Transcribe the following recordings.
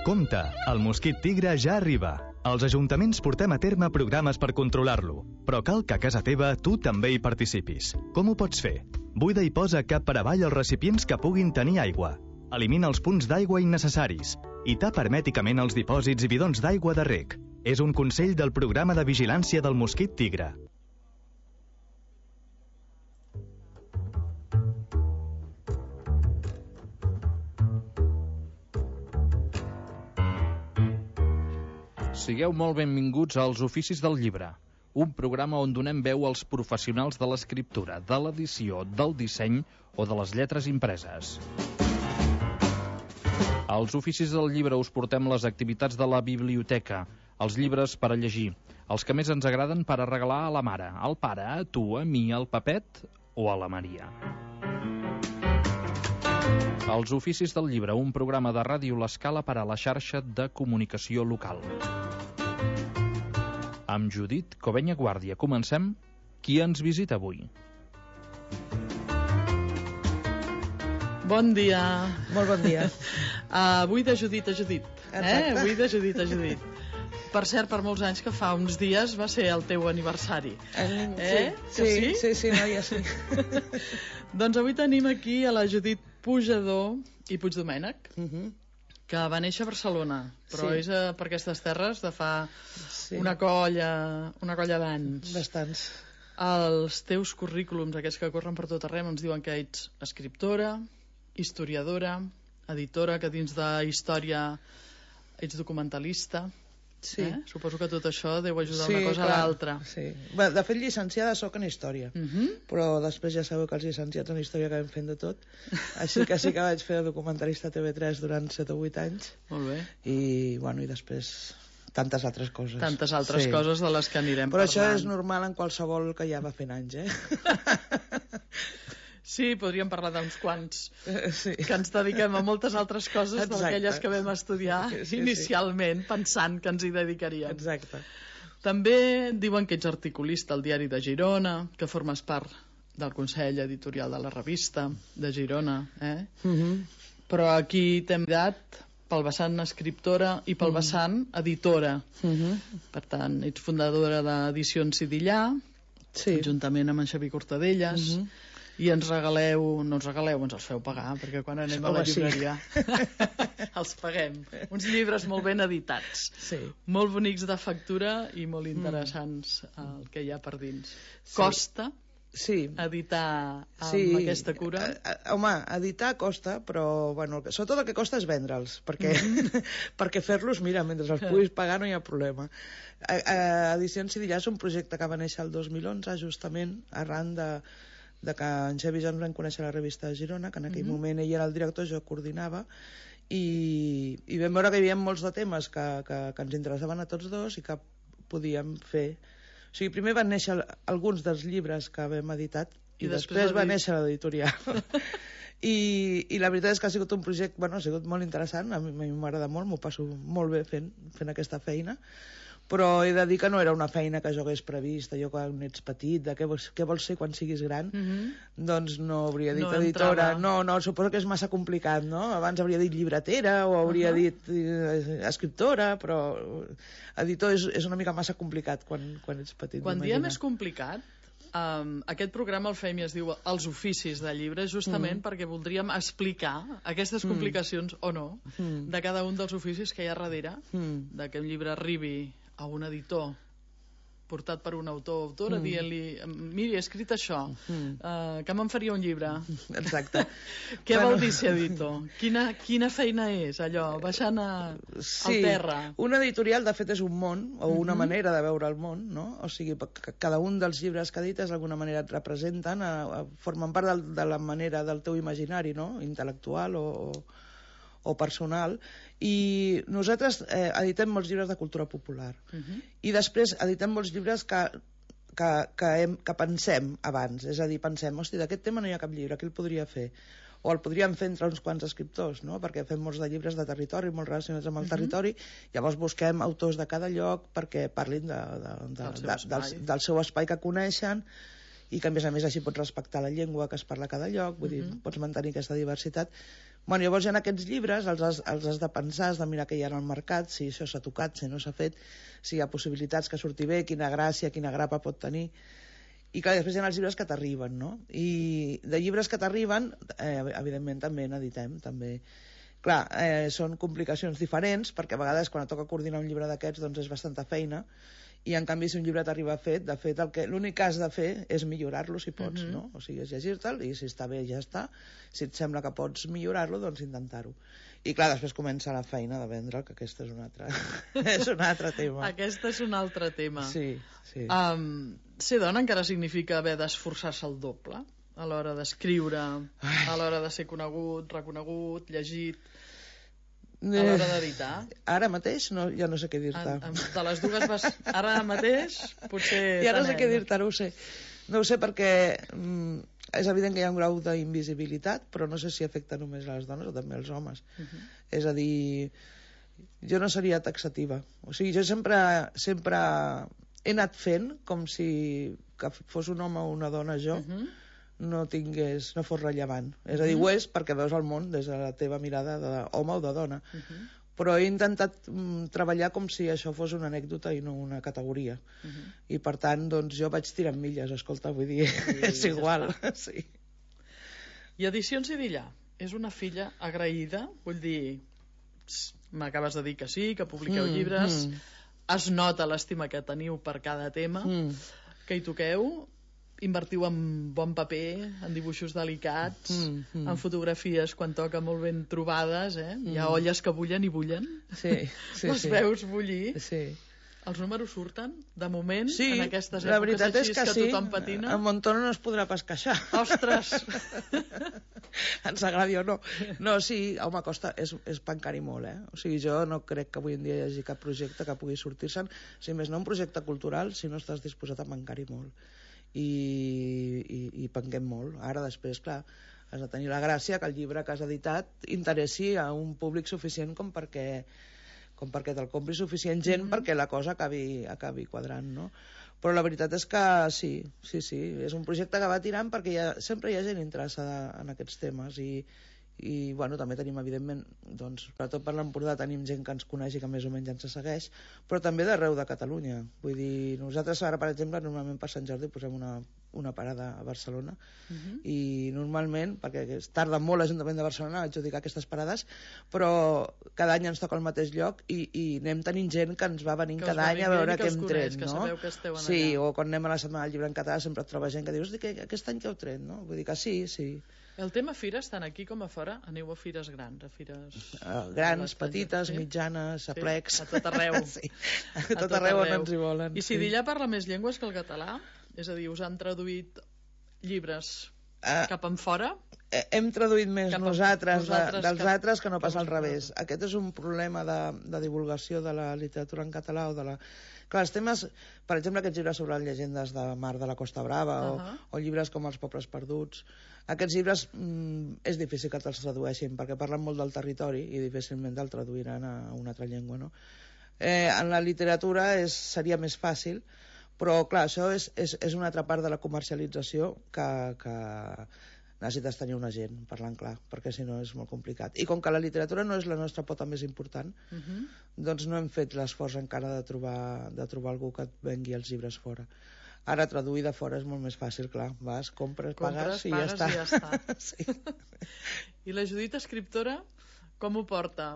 Compte, el mosquit tigre ja arriba. Els ajuntaments portem a terme programes per controlar-lo, però cal que a casa teva tu també hi participis. Com ho pots fer? Buida i posa cap per avall els recipients que puguin tenir aigua. Elimina els punts d'aigua innecessaris i tapa hermèticament els dipòsits i bidons d'aigua de reg. És un consell del programa de vigilància del mosquit tigre. Sigueu molt benvinguts als Oficis del Llibre, un programa on donem veu als professionals de l'escriptura, de l'edició, del disseny o de les lletres impreses. Als Oficis del Llibre us portem les activitats de la biblioteca, els llibres per a llegir, els que més ens agraden per a regalar a la mare, al pare, a tu, a mi, al Pepet o a la Maria. Els Oficis del Llibre, un programa de Ràdio L'Escala per a la xarxa de comunicació local. Amb Judit Covenya Guàrdia comencem. Qui ens visita avui? Bon dia. Molt bon dia. Avui de Judit a Judit. Exacte. Avui de Judit a Judit. Per cert, per molts anys, que fa uns dies va ser el teu aniversari. Sí, no, ja sí. Doncs avui tenim aquí a la Judit Pujador i Puigdomènech, que va néixer a Barcelona, però és per aquestes terres de fa una colla d'anys. Bastants. Els teus currículums, aquests que corren per tot arreu, ens diuen que ets escriptora, historiadora, editora, que dins de història ets documentalista. Sí. Suposo que tot això deu ajudar una cosa a l'altra. Sí. Bé, de fet, llicenciada soc en història, però després ja sabeu que els llicenciats en història acabem fent de tot. Així que sí que vaig fer de documentalista a TV3 durant 7 o 8 anys. Molt bé. I després tantes altres coses. Tantes altres coses de les que anirem però parlant. Però això és normal en qualsevol que ja va fent anys, Sí, podríem parlar d'uns quants que ens dediquem a moltes altres coses d'aquelles que vam estudiar inicialment pensant que ens hi dedicaríem. Exacte. També diuen que ets articulista al Diari de Girona, que formes part del Consell Editorial de la Revista de Girona, Però aquí t'hem dat pel vessant escriptora i pel vessant editora. Per tant, ets fundadora d'Edicions Sidillà, juntament amb en Xavier Cortadellas, i ens regaleu, no ens regaleu, ens els feu pagar, perquè quan anem a la llibreria els paguem. Uns llibres molt ben editats, molt bonics de factura i molt interessants el que hi ha per dins. Costa editar amb aquesta cura? Home, editar costa, però sobretot el que costa és vendre'ls, perquè fer-los, mira, mentre els puguis pagar no hi ha problema. Edicions Sidillà és un projecte que va néixer el 2011, justament arran de que en Xavi ja ens vam conèixer a la revista de Girona, que en aquell moment ell era el director, jo coordinava, i vam veure que hi havia molts de temes que ens interessaven a tots dos i que podíem fer. O sigui, primer van néixer alguns dels llibres que vam editat i després va néixer l'editorial. I la veritat és que ha sigut un projecte, ha sigut molt interessant, a mi m'agrada molt, m'ho passo molt bé fent aquesta feina, però he de dir que no era una feina que jo hagués previst, allò quan ets petit, de què vols ser quan siguis gran, doncs no hauria dit editora, no, suposo que és massa complicat, no? Abans hauria dit llibretera o hauria dit escriptora, però editor és una mica massa complicat quan ets petit. Quan diem és complicat, aquest programa el fem i es diu Els Oficis del Llibre, justament perquè voldríem explicar aquestes complicacions o no de cada un dels oficis que hi ha darrere que un llibre arribi a un editor portat per un autor o autora dient-li, miri, he escrit això, que me'n faria un llibre. Exacte. Què vol dir ser editor? Quina feina és allò, baixant al terra? Un editorial de fet és un món o una manera de veure el món, no? O sigui, cada un dels llibres que edites d'alguna manera et representen, formen part de la manera del teu imaginari, no? Intel·lectual o personal, i nosaltres editem molts llibres de cultura popular i després editem molts llibres que pensem abans, és a dir, pensem, hòstia, d'aquest tema no hi ha cap llibre, què el podria fer? O el podríem fer entre uns quants escriptors, no? Perquè fem molts de llibres de territori, molt relacionats amb el territori, llavors busquem autors de cada lloc perquè parlin del seu espai que coneixen i que a més així pots respectar la llengua que es parla a cada lloc, vull dir, pots mantenir aquesta diversitat. Bueno, llavors en aquests llibres els has de pensar, has de mirar què hi ha al mercat, si això s'ha tocat, si no s'ha fet, si hi ha possibilitats que surti bé, quina gràcia, quina grapa pot tenir. I clar, després hi ha els llibres que t'arriben, no? I de llibres que t'arriben, evidentment també n'editem, també. Clar, són complicacions diferents, perquè a vegades quan et toca coordinar un llibre d'aquests doncs és bastanta feina, i en canvi si un llibre t'arriba fet, de fet l'únic que has de fer és millorar-lo si pots, no? O sigui, és llegir-te'l i si està bé ja està, si et sembla que pots millorar-lo, doncs intentar-ho. I clar, després comença la feina de vendre'l, que aquesta és un altre, és un altre tema. Aquesta és un altre tema. Sí. Ser dona encara significa haver d'esforçar-se el doble a l'hora d'escriure, a l'hora de ser conegut, reconegut, llegit, a l'hora d'editar. Ara mateix ja no sé què dir-te. De les dues vas... Ara mateix potser... Ja no sé què dir-te, no ho sé. No ho sé perquè és evident que hi ha un grau d'invisibilitat, però no sé si afecta només a les dones o també als homes. És a dir, jo no seria taxativa. O sigui, jo sempre he anat fent com si que fos un home o una dona jo no fos rellevant. És a dir, ho és perquè veus el món des de la teva mirada d'home o de dona. Però he intentat treballar com si això fos una anècdota i no una categoria. I per tant, doncs jo vaig tirant milles, escolta, vull dir, és igual. Sí. I Edicions Idillà és una filla agraïda? Vull dir, m'acabes de dir que sí, que publiqueu llibres, es nota l'estima que teniu per cada tema, que hi toqueu, invertiu en bon paper, en dibuixos delicats, en fotografies quan toca molt ben trobades, hi ha olles que bullen i bullen, les veus bullir. Els números surten, de moment, en aquestes èpoques així que tothom patina? En Montoro no es podrà pas queixar. Ostres! Ens agradi o no. No, sí, home, costa, és pencar-hi molt, O sigui, jo no crec que avui en dia hi hagi cap projecte que pugui sortir-se'n, si més no un projecte cultural, si no estàs disposat a pencar-hi molt. I penquem molt. Ara, després, clar, has de tenir la gràcia que el llibre que has editat interessi a un públic suficient com perquè te'l compri suficient gent perquè la cosa acabi quadrant, no? Però la veritat és que sí, és un projecte que va tirant perquè sempre hi ha gent interessada en aquests temes i bueno, també tenim evidentment, doncs, sobretot per l'Empordà tenim gent que ens coneix i que més o menys ens segueix, però també d'arreu de Catalunya. Vull dir, nosaltres ara, per exemple, normalment per Sant Jordi posem una parada a Barcelona i normalment, perquè es tarda molt l'Ajuntament de Barcelona a adjudicar aquestes parades, però cada any ens toca al mateix lloc i anem tenint gent que ens va venint cada any a veure què hem tret, no? Sí, o quan anem a la Setmana del Llibre en Català sempre et troba gent que dius que aquest any què heu tret, no? Vull dir que sí. El tema fires, tant aquí com a fora, aneu a fires grans, a fires... grans, petites, mitjanes, a plecs... A tot arreu. Sí, a tot arreu on ens hi volen. I si Idillà parla més llengües que el català? És a dir, us han traduït llibres cap en fora? Hem traduït més nosaltres dels altres que no pas al revés. Aquest és un problema de divulgació de la literatura en català o de la... Clar, els temes, per exemple, aquests llibres sobre les llegendes de mar de la Costa Brava o llibres com Els pobles perduts, aquests llibres és difícil que te'ls tradueixin perquè parlen molt del territori i difícilment te'l traduiran a una altra llengua, no? En la literatura seria més fàcil, però clar, això és una altra part de la comercialització que necessites tenir una gent, parlant clar, perquè si no és molt complicat. I com que la literatura no és la nostra pota més important, doncs no hem fet l'esforç encara de trobar algú que et vengui els llibres fora. Ara traduir de fora és molt més fàcil, clar. Vas, compres, pagues i ja està. Sí. I la Judit, escriptora, com ho porta?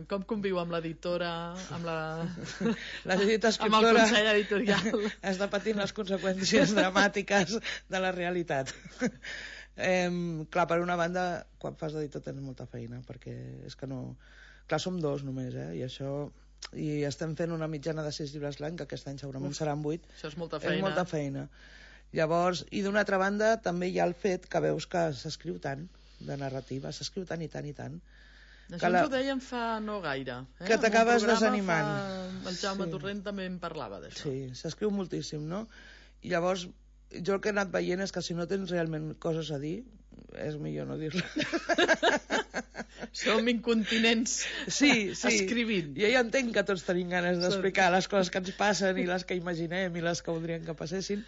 Com conviu amb l'editora, amb la Judit, escriptora, amb el Consell Editorial? Està patint les conseqüències dramàtiques de la realitat. Clar, per una banda, quan fas d'editor tens molta feina, perquè és que no... Clar, som dos només, i això... I estem fent una mitjana de 6 llibres l'any, que aquest any segurament seran 8. Això és molta feina. És molta feina. Llavors, i d'una altra banda, també hi ha el fet que veus que s'escriu tant de narrativa, s'escriu tant i tant i tant. Això ens ho deien fa no gaire. Que t'acabes desanimant. El Jaume Torrent també en parlava d'això. Sí, s'escriu moltíssim, no? I llavors, jo el que he anat veient és que si no tens realment coses a dir, és millor no dir-les. Som incontinents escrivint. Jo ja entenc que tots tenim ganes d'explicar les coses que ens passen i les que imaginem i les que voldríem que passessin,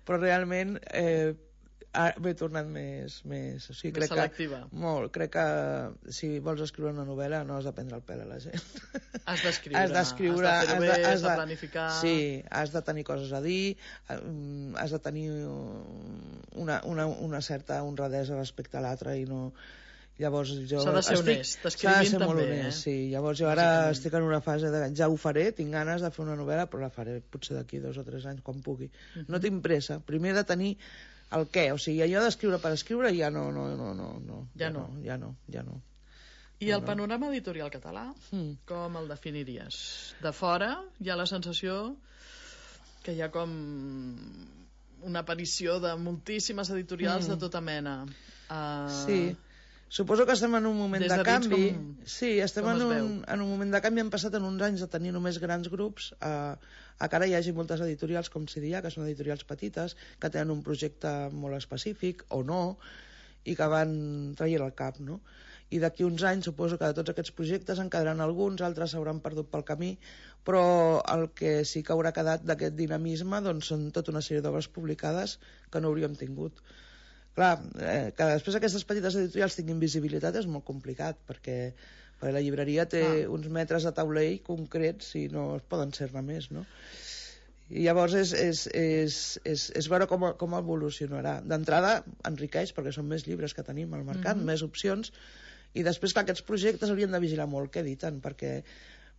però realment m'he tornat més o sigui, més selectiva. Molt. Crec que si vols escriure una novel·la no has de prendre el pèl a la gent. Has d'escriure, has de fer-ho bé, has de planificar... Sí, has de tenir coses a dir, has de tenir una certa honradesa respecte a l'altre i no... Llavors s'ha de ser honest, escrivint també, honest, sí. Llavors jo ara estic en una fase de ja ho faré, tinc ganes de fer una novel·la, però la faré potser d'aquí 2 o 3 anys, quan pugui. No tinc pressa, primer de tenir el què, o sigui, allò d'escriure per escriure ja no. I el panorama editorial català, com el definiries? De fora hi ha la sensació que hi ha com una aparició de moltíssimes editorials de tota mena. Sí. Suposo que estem en un moment de canvi. Sí, estem en un moment de canvi. Hem passat en uns anys de tenir només grans grups a que ara hi hagi moltes editorials, com CDA, que són editorials petites, que tenen un projecte molt específic, o no, i que van traient el cap, no? I d'aquí uns anys suposo que de tots aquests projectes en quedaran alguns, altres s'hauran perdut pel camí, però el que sí que haurà quedat d'aquest dinamisme doncs, són tota una sèrie d'obres publicades que no hauríem tingut. Clar, que després aquestes petites editorials tinguin visibilitat és molt complicat, perquè la llibreria té uns metres de taulell concrets i no es poden ser-ne més, no? I llavors és veure com evolucionarà. D'entrada enriqueix, perquè són més llibres que tenim al mercat, més opcions, i després que aquests projectes haurien de vigilar molt què editen, perquè,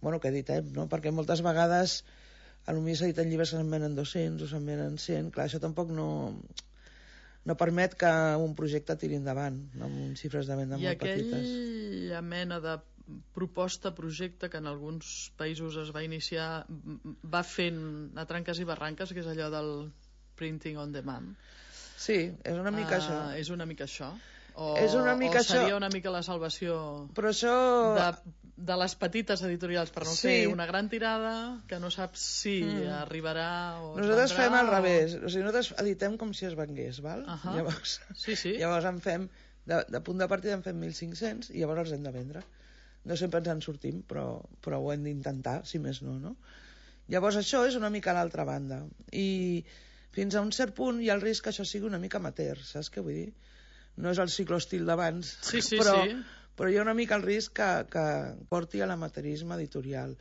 bueno, què editem, no? Perquè moltes vegades potser s'editen llibres que se'n venen 200 o se'n venen 100, clar, això tampoc no permet que un projecte tiri endavant, amb xifres de venda molt petites. I aquella mena de proposta-projecte que en alguns països es va iniciar, va fent a tranques i barranques, que és allò del printing on demand. Sí, és una mica això. És una mica això. O seria una mica la salvació de les petites editorials per no fer una gran tirada que no saps si arribarà o nosaltres fem al revés, o sigui, nosaltres editem com si es vengués, val? Llavors en fem de punt de partida en fem 1.500 i llavors els hem de vendre. No sempre ens en sortim, però ho hem d'intentar, si més no? Llavors això és una mica a l'altra banda, i fins a un cert punt hi ha el risc que això sigui una mica amateur, saps què vull dir? No és el cicloestil d'abans, però hi ha una mica el risc que porti a l'amateurisme editorial.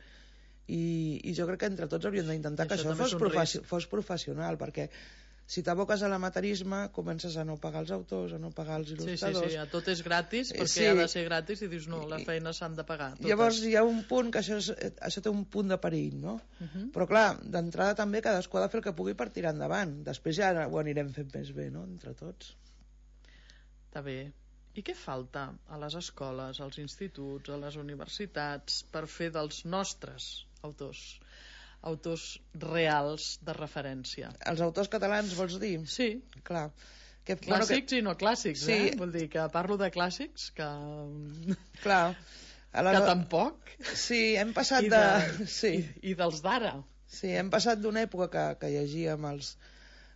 I jo crec que entre tots hauríem d'intentar que això fos professional, perquè si t'aboques a l'amateurisme comences a no pagar els autors, a no pagar els il·lustradors. Sí, tot és gratis, perquè ha de ser gratis i dius no, les feines s'han de pagar totes. Llavors hi ha un punt que això té un punt de perill, no? Però clar, d'entrada també cadascú ha de fer el que pugui per tirar endavant, després ja ho anirem fent més bé, no?, entre tots. Està bé. I què falta a les escoles, als instituts, a les universitats per fer dels nostres autors reals de referència? Els autors catalans, vols dir? Sí. Clar. Clàssics i no clàssics, Vull dir que parlo de clàssics que... Clar. Que tampoc. Sí, hem passat I dels d'ara. Sí, hem passat d'una època que llegíem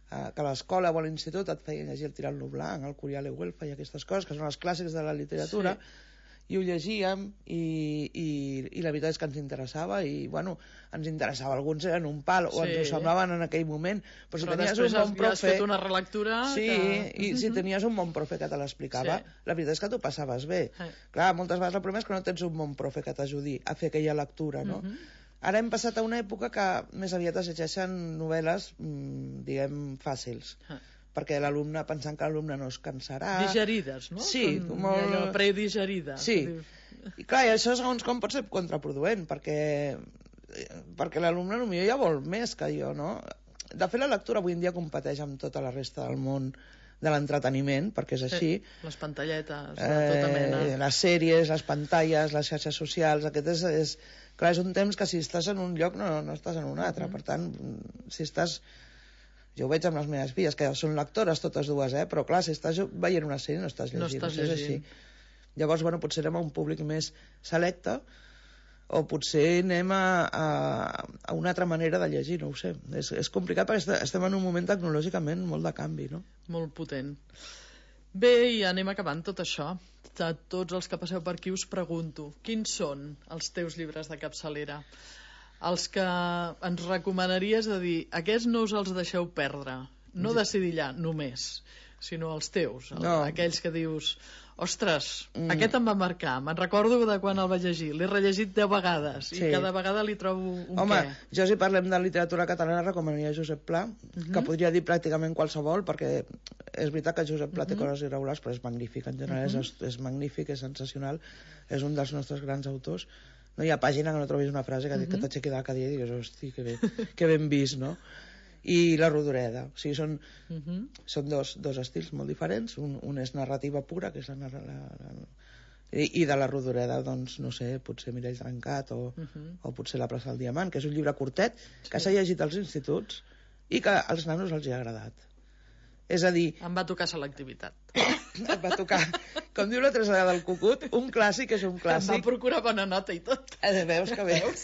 que a l'escola o a l'institut et feien llegir el Tirant-lo Blanc, el Curial i Güelfa i aquestes coses, que són els clàssics de la literatura, i ho llegíem i la veritat és que ens interessava i, bueno, ens interessava, alguns eren un pal o ens ho semblaven en aquell moment, però si tenies un bon profe... has fet una relectura... I si tenies un bon profe que te l'explicava, la veritat és que t'ho passaves bé. Clar, moltes vegades el problema és que no tens un bon profe que t'ajudi a fer aquella lectura, no? Ara hem passat a una època que més aviat es llegeixen novel·les, diguem, fàcils, perquè l'alumne, pensant que l'alumne no es cansarà... Digerides, no? Sí, molt... Predigerides. Sí, i clar, i això segons com pot ser contraproduent, perquè l'alumne potser ja vol més que jo, no? De fet, la lectura avui en dia competeix amb tota la resta del món de l'entreteniment, perquè és així. Les pantalletes, de tota mena. Les sèries, les pantalles, les xarxes socials, aquest és... Clar, és un temps que si estàs en un lloc no estàs en un altre, per tant, si estàs... Jo ho veig amb les meves filles, que són lectores totes dues, però clar, si estàs veient una sèrie no estàs llegint. No estàs llegint. És així. Llavors, bueno, potser anem a un públic més selecte, o potser anem a una altra manera de llegir, no ho sé. És complicat perquè estem en un moment tecnològicament molt de canvi, no? Molt potent. Bé, i anem acabant tot això. A tots els que passeu per aquí us pregunto, quins són els teus llibres de capçalera? Els que ens recomanaries de dir, aquests no us els deixeu perdre, no de Sedillà, només, sinó els teus, No. aquells que dius ostres, aquest em va marcar, me'n recordo de quan el vaig llegir, l'he rellegit 10 vegades i cada vegada li trobo un Home, què. jo si parlem de literatura catalana recomanaria Josep Pla, que podria dir pràcticament qualsevol, perquè és veritat que Josep Pla té coses irregulars, però és magnífic, en general és magnífic, és sensacional, és un dels nostres grans autors. No hi ha pàgina que no trobis una frase que t'aixequi de la cadira i digues, hosti, que ben vist, no? I la Rodoreda, o sigui, són dos estils molt diferents, un és narrativa pura, que és i de la Rodoreda, doncs, no sé, potser Mirall Trencat o potser La plaça del Diamant, que és un llibre curtet que s'ha llegit als instituts i que als nanos els hi ha agradat. És a dir... Em va tocar selectivitat. Et va tocar, com diu la Teresa del Cucut, un clàssic és un clàssic. Em va procurar bona nota i tot. Veus que veus?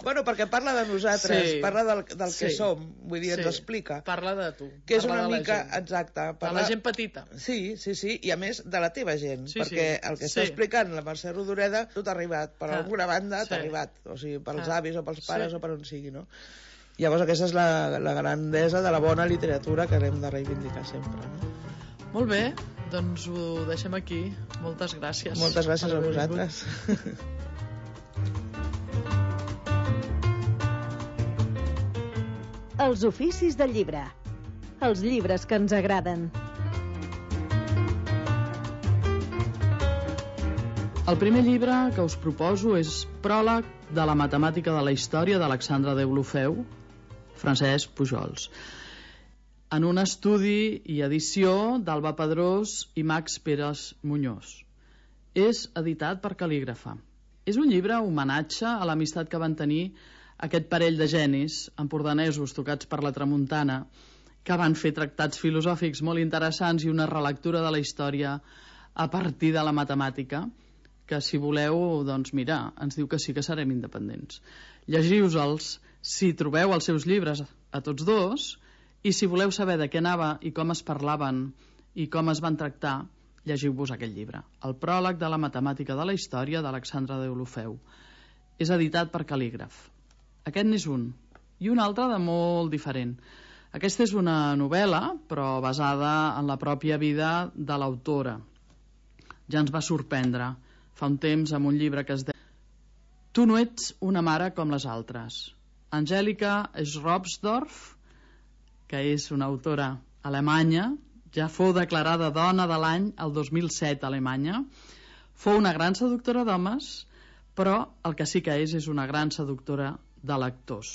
Bueno, perquè parla de nosaltres, parla del que som, vull dir, ens explica. Parla de tu. Que és una mica, exacte. De la gent petita. Sí, i a més de la teva gent, perquè el que està explicant la Mercè Rodoreda, tu t'ha arribat, per alguna banda t'ha arribat, o sigui, pels avis o pels pares o per on sigui, no? Llavors aquesta és la grandesa de la bona literatura que hem de reivindicar sempre, no? Molt bé, doncs ho deixem aquí. Moltes gràcies. Moltes gràcies a vosaltres. Els oficis del llibre. Els llibres que ens agraden. El primer llibre que us proposo és Pròleg de la matemàtica de la història d'Alexandre Deulofeu, Francesc Pujols, en un estudi i edició d'Alba Pedrós i Max Pérez Muñoz. És editat per Cal·lígrafa. És un llibre homenatge a l'amistat que van tenir aquest parell de genis empordanesos tocats per la tramuntana, que van fer tractats filosòfics molt interessants i una relectura de la història a partir de la matemàtica, que si voleu, doncs mira, ens diu que sí que serem independents. Llegiu-se'ls si trobeu els seus llibres a tots dos, i si voleu saber de què anava i com es parlaven i com es van tractar, llegiu-vos aquest llibre, El pròleg de la matemàtica de la història d'Alexandre Deulofeu. És editat per Cal·lígraf. Aquest n'és un, i un altre de molt diferent. Aquesta és una novel·la, però basada en la pròpia vida de l'autora. Ja ens va sorprendre fa un temps amb un llibre que es deia Tu no ets una mare com les altres. Angèlica Schropsdorf, que és una autora alemanya, ja fou declarada dona de l'any el 2007 a Alemanya, fou una gran seductora d'homes, però el que sí que és una gran seductora de lectors.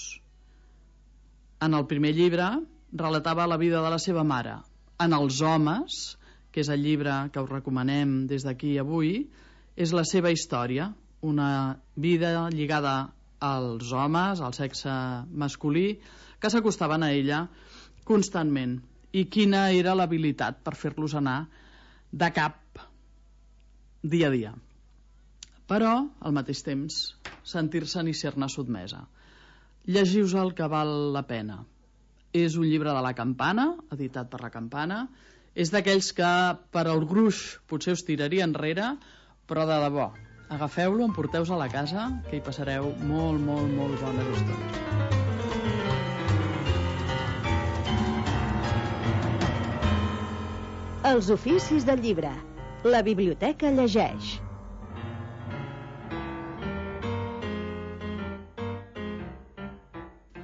En el primer llibre relatava la vida de la seva mare. En Els homes, que és el llibre que us recomanem des d'aquí avui, és la seva història, una vida lligada als homes, al sexe masculí, que s'acostaven a ella constantment, i quina era l'habilitat per fer-los anar de cap dia a dia. Però, al mateix temps, sentir-se'n i ser-ne sotmesa. Llegiu-vos el que val la pena. És un llibre de La Campana, editat per La Campana. És d'aquells que per al gruix potser us tiraria enrere, però de debò, agafeu-lo, emporteu-vos a la casa, que hi passareu molt, molt, molt bones estones. Els oficis del llibre. La biblioteca llegeix.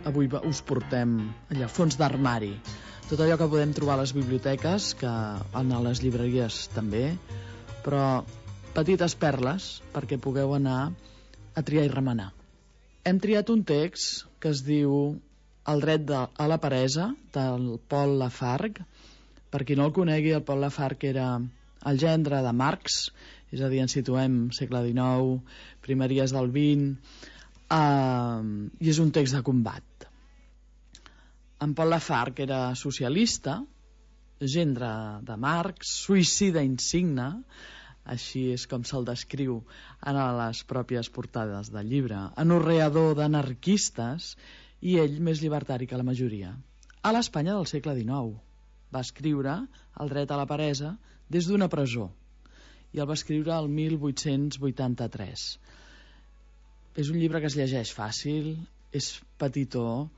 Avui us portem allà, fons d'armari. Tot allò que podem trobar a les biblioteques, que a les llibreries també, però petites perles perquè pugueu anar a triar i remenar. Hem triat un text que es diu El dret a la peresa, del Paul Lafargue. Per qui no el conegui, el Paul Lafargue era el gendre de Marx, és a dir, ens situem segle XIX, primeries del XX, i és un text de combat. En Paul Lafargue era socialista, gendre de Marx, suïcida insigne, així és com se'l descriu en les pròpies portades del llibre, anorreador d'anarquistes, i ell més llibertari que la majoria. A l'Espanya del segle XIX va escriure El dret a la peresa des d'una presó, i el va escriure el 1883. És un llibre que es llegeix fàcil, és petitó,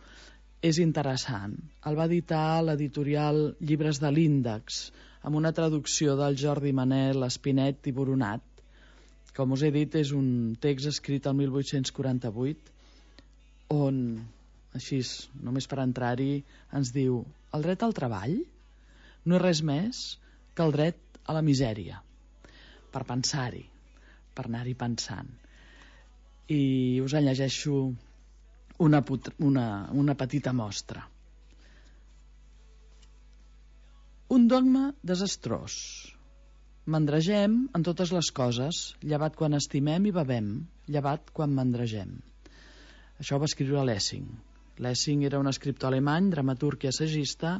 és interessant. El va editar l'editorial Llibres de l'Índex, amb una traducció del Jordi Manel, Espinet i Boronat. Com us he dit, és un text escrit el 1848, on, així, només per entrar-hi, ens diu: el dret al treball no és res més que el dret a la misèria. Per pensar-hi, per anar-hi pensant. I us en llegeixo una petita mostra. Un dogma desastrós. Mandregem en totes les coses, llevat quan estimem i bevem, llevat quan mandregem. Això ho va escriure Lessing. Lessing era un escriptor alemany, dramaturg i assagista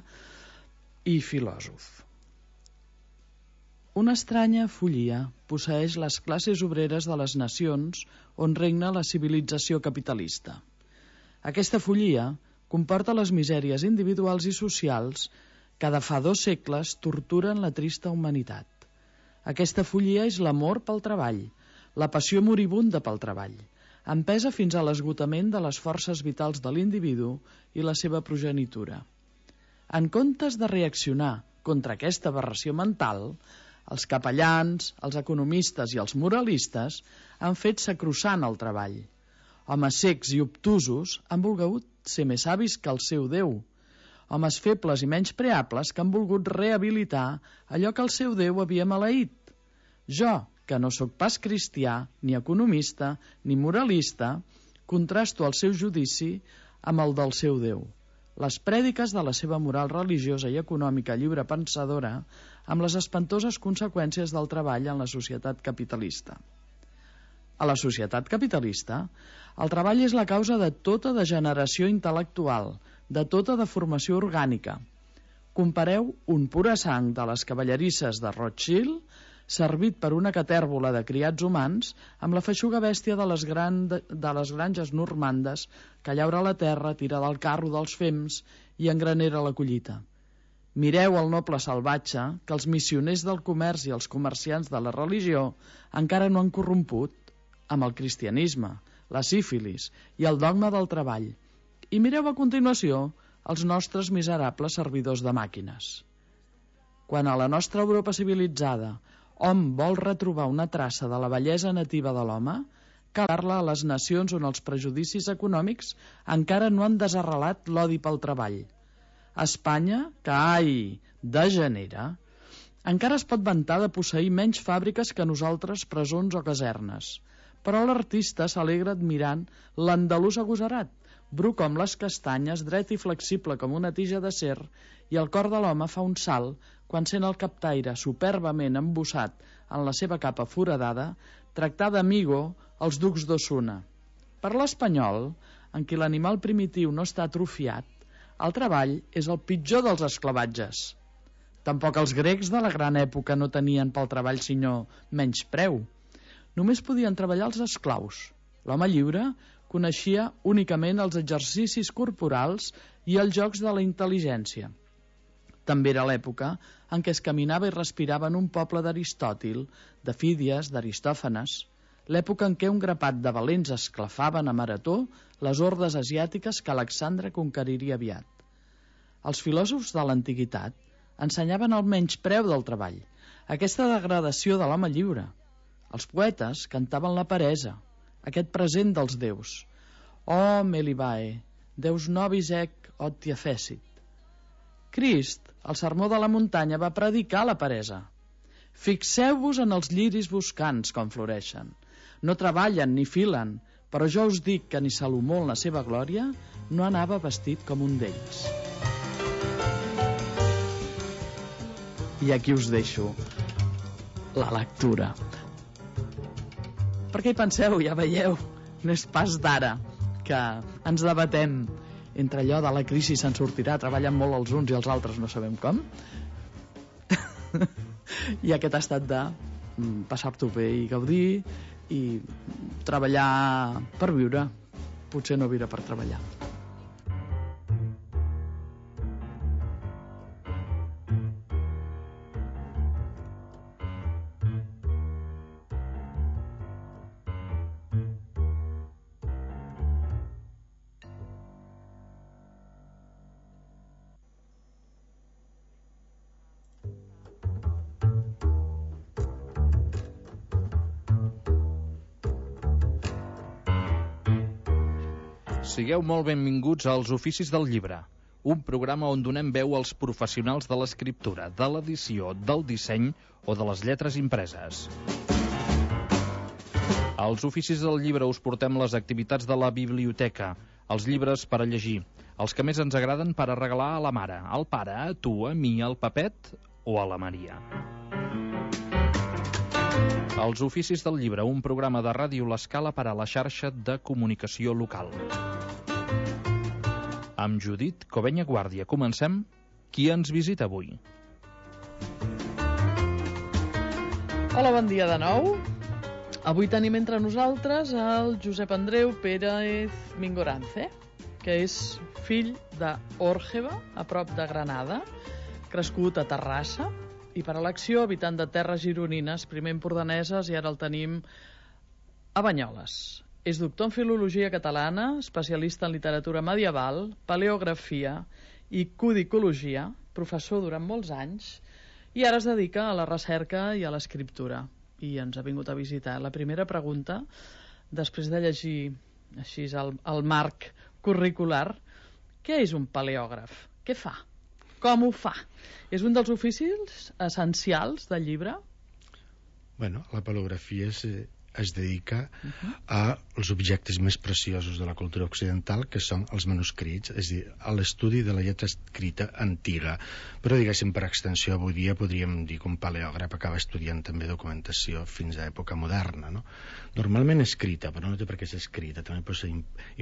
i filòsof. Una estranya follia posseeix les classes obreres de les nacions on regna la civilització capitalista. Aquesta follia comporta les misèries individuals i socials que de fa 2 segles torturen la trista humanitat. Aquesta follia és l'amor pel treball, la passió moribunda pel treball, empesa fins a l'esgotament de les forces vitals de l'individu i la seva progenitura. En comptes de reaccionar contra aquesta aberració mental, els capellans, els economistes i els moralistes han fet sacrosant el treball. Homes cecs i obtusos han volgut ser més savis que el seu Déu. Homes febles i menys preables que han volgut rehabilitar allò que el seu Déu havia maleït. Jo, que no sóc pas cristià, ni economista, ni moralista, contrasto el seu judici amb el del seu Déu. Les prèdiques de la seva moral religiosa i econòmica lliure pensadora amb les espantoses conseqüències del treball en la societat capitalista. A la societat capitalista, el treball és la causa de tota degeneració intel·lectual, de tota deformació orgànica. Compareu un pura sang de les cavallerisses de Rothschild, servit per una catèrbola de criats humans, amb la feixuga bèstia de les granges normandes que llaura la terra, tira del carro dels fems i engranera la collita. Mireu el noble salvatge que els missioners del comerç i els comerciants de la religió encara no han corromput amb el cristianisme, la sífilis i el dogma del treball. I mireu a continuació els nostres miserables servidors de màquines. Quan a la nostra Europa civilitzada hom vol retrobar una traça de la bellesa nativa de l'home, cal parlar a les nacions on els prejudicis econòmics encara no han desarrelat l'odi pel treball. Espanya, que ai, degenera, encara es pot vantar de posseir menys fàbriques que nosaltres presons o casernes, però l'artista s'alegra admirant l'andalús agosarat, bru com les castanyes, dret i flexible com una tija d'acer, i el cor de l'home fa un salt quan sent el captaire superbament embossat en la seva capa foradada tractar d'amigo els ducs d'Osuna. Per l'espanyol, en qui l'animal primitiu no està atrofiat, el treball és el pitjor dels esclavatges. Tampoc els grecs de la gran època no tenien pel treball sinó menyspreu. Només podien treballar els esclaus. L'home lliure coneixia únicament els exercicis corporals i els jocs de la intel·ligència. També era l'època en què es caminava i respirava en un poble d'Aristòtil, de Fídies, d'Aristòfanes, l'època en què un grapat de valents esclafaven a marató les hordes asiàtiques que Alexandre conqueriria aviat. Els filòsofs de l'antiguitat ensenyaven el menyspreu del treball, aquesta degradació de l'home lliure. Els poetes cantaven la peresa, aquest present dels déus. «O Melibae, deus nobis ec otia fecit». Crist, al sermó de la muntanya, va predicar la peresa. Fixeu-vos en els lliris buscants com floreixen. No treballen ni filen, però jo us dic que ni Salomó en la seva glòria no anava vestit com un d'ells. I aquí us deixo la lectura. Per què hi penseu? Ja veieu, no és pas d'ara que ens debatem entre allò de la crisi se'n sortirà, treballen molt els uns i els altres no sabem com. I aquest ha estat de passar-t'ho bé i gaudir i treballar per viure, potser no viure per treballar. Sigueu molt benvinguts als Oficis del Llibre, un programa on donem veu als professionals de l'escriptura, de l'edició, del disseny o de les lletres impreses. Als Oficis del Llibre us portem les activitats de la biblioteca, els llibres per a llegir, els que més ens agraden per a regalar a la mare, al pare, a tu, a mi, al Pepet o a la Maria. Els Oficis del Llibre, un programa de Ràdio L'Escala per a la xarxa de comunicació local. Amb Judit Covenya Guàrdia comencem. Qui ens visita avui? Hola, bon dia de nou. Avui tenim entre nosaltres el Josep Andreu Pérez Mingorance, que és fill d'Òrgeva, a prop de Granada, crescut a Terrassa, i per elecció habitant de terres gironines, primer empordaneses i ara el tenim a Banyoles. És doctor en filologia catalana, especialista en literatura medieval, paleografia i codicologia, professor durant molts anys, i ara es dedica a la recerca i a l'escriptura. I ens ha vingut a visitar. La primera pregunta, després de llegir així el marc curricular, què és un paleògraf? Què fa? Com ho fa? És un dels oficis essencials del llibre? Bueno, la paleografia es dedica als objectes més preciosos de la cultura occidental, que són els manuscrits, és a dir, a l'estudi de la lletra escrita antiga. Però, diguéssim, per extensió, avui dia podríem dir que un paleògraf acaba estudiant també documentació fins a època moderna, no? Normalment escrita, però no té per què ser escrita, també pot ser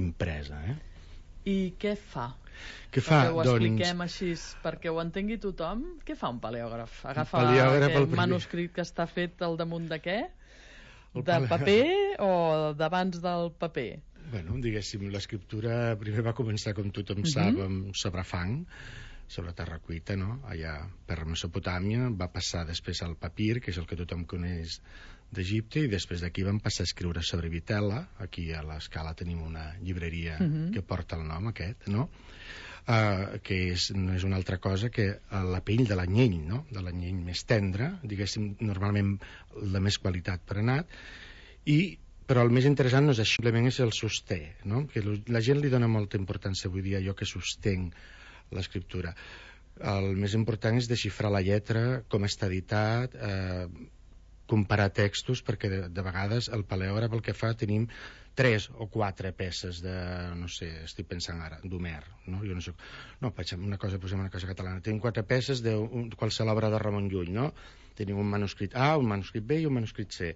impresa, I què fa? Què fa? Perquè ho expliquem així, perquè ho entengui tothom. Què fa un paleògraf? Agafa un manuscrit que està fet al damunt de què? De paper o d'abans del paper? Bueno, diguéssim, l'escriptura primer va començar, com tothom sap, sobre fang, sobre terra cuita, no? Allà per Mesopotàmia, va passar després al papir, que és el que tothom coneix d'Egipte, i després d'aquí van passar a escriure sobre vitela. Aquí a l'Escala tenim una llibreria que porta el nom aquest, no? Que no és una altra cosa que la pell de l'anyell, no? De l'anyell més tendre, diguéssim, normalment la més qualitat per anat, però el més interessant no és això, simplement és el sosté, no? Que la gent li dona molta importància avui dia a allò que sostenc l'escriptura. El més important és desxifrar la lletra, com està editat, comparar textos, perquè de vegades el paleògraf el que fa, tenim 3 o 4 peces de, no sé, estic pensant ara, d'Homer, no? Jo no soc... No, posem una cosa catalana. Tenim 4 peces de qualsevol obra de Ramon Llull, no? Tenim un manuscrit A, un manuscrit B i un manuscrit C.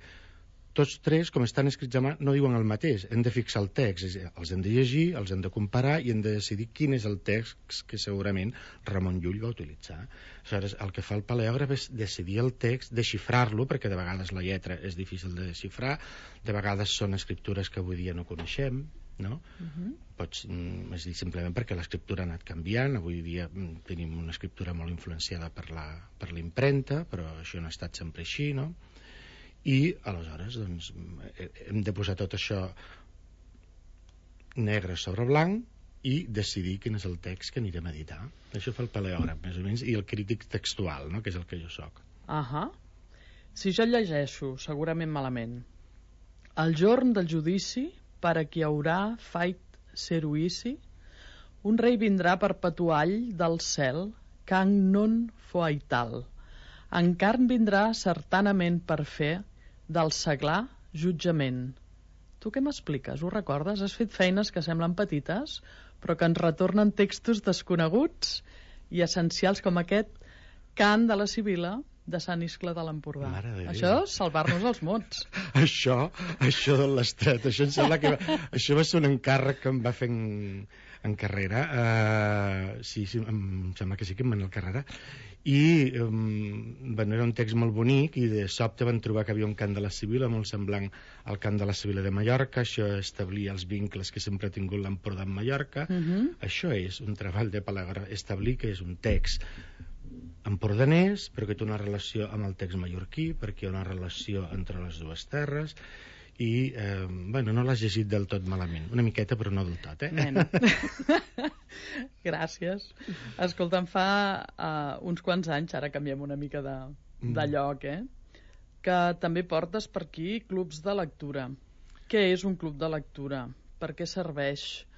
Tots 3, com estan escrits a mà, no diuen el mateix. Hem de fixar el text, els hem de llegir, els hem de comparar i hem de decidir quin és el text que segurament Ramon Llull va utilitzar. Aleshores, el que fa el paleògraf és decidir el text, desxifrar-lo, perquè de vegades la lletra és difícil de desxifrar, de vegades són escriptures que avui dia no coneixem, no? És dir, simplement perquè l'escriptura ha anat canviant. Avui dia tenim una escriptura molt influenciada per la impremta, però això no ha estat sempre així, no? I aleshores doncs, hem de posar tot això negre sobre blanc i decidir quin és el text que anirem a editar. Això fa el paleògraf, més o menys, i el crític textual, no? Que és el que jo soc. Si jo llegeixo, segurament malament, el jorn del judici, per a qui haurà fait seruïci, un rei vindrà perpetuall del cel, can non foaital. En carn vindrà certanament per fer del seglar jutjament. Tu què m'expliques? Ho recordes? Has fet feines que semblen petites, però que ens retornen textos desconeguts i essencials com aquest cant de la Sibil·la de Sant Iscle de l'Empordà. Això és salvar-nos els mots. Això de l'Estret, això em sembla que això va ser un encàrrec que em va fer en carrera. Sí, em sembla que sí que em va anar a carrera. I era un text molt bonic i de sobte van trobar que havia un cant de la Sibil·la molt semblant al cant de la Sibil·la de Mallorca. Això establia els vincles que sempre ha tingut l'Empordà amb Mallorca. Això és un treball de paleògraf, establir que és un text empordanès però que té una relació amb el text mallorquí, perquè hi ha una relació entre les dues terres. I, no l'has llegit del tot malament. Una miqueta, però no del tot, Gràcies. Escolta, em fa uns quants anys, ara canviem una mica de lloc, que també portes per aquí clubs de lectura. Què és un club de lectura? Per què serveix?